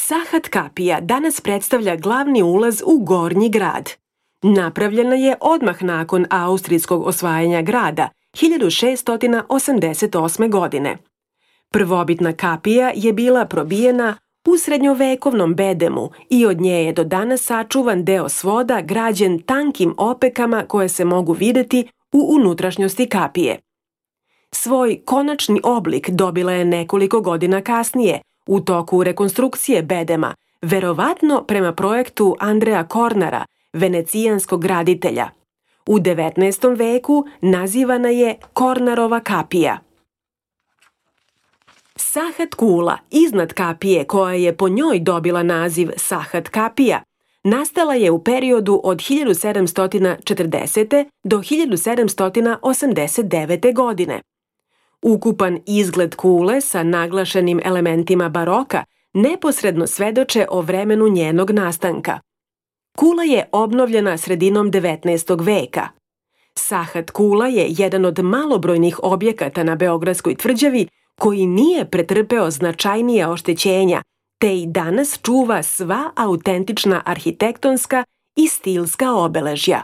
Sahat kapija danas predstavlja glavni ulaz u Gornji grad. Napravljena je odmah nakon austrijskog osvajanja grada 1688. godine. Prvobitna kapija je bila probijena u srednjovekovnom bedemu i od nje je do danas sačuvan deo svoda građen tankim opekama koje se mogu videti u unutrašnjosti kapije. Svoj konačni oblik dobila je nekoliko godina kasnije, u toku rekonstrukcije bedema, verovatno prema projektu Andrea Kornara, venecijanskog graditelja. U 19. veku nazivana je Kornarova kapija. Sahat kula iznad kapije, koja je po njoj dobila naziv Sahat kapija, nastala je u periodu od 1740. do 1789. godine. Ukupan izgled kule sa naglašenim elementima baroka neposredno svedoče o vremenu njenog nastanka. Kula je obnovljena sredinom 19. veka. Sahat kula je jedan od malobrojnih objekata na Beogradskoj tvrđavi koji nije pretrpeo značajnija oštećenja, te i danas čuva sva autentična arhitektonska i stilska obeležja.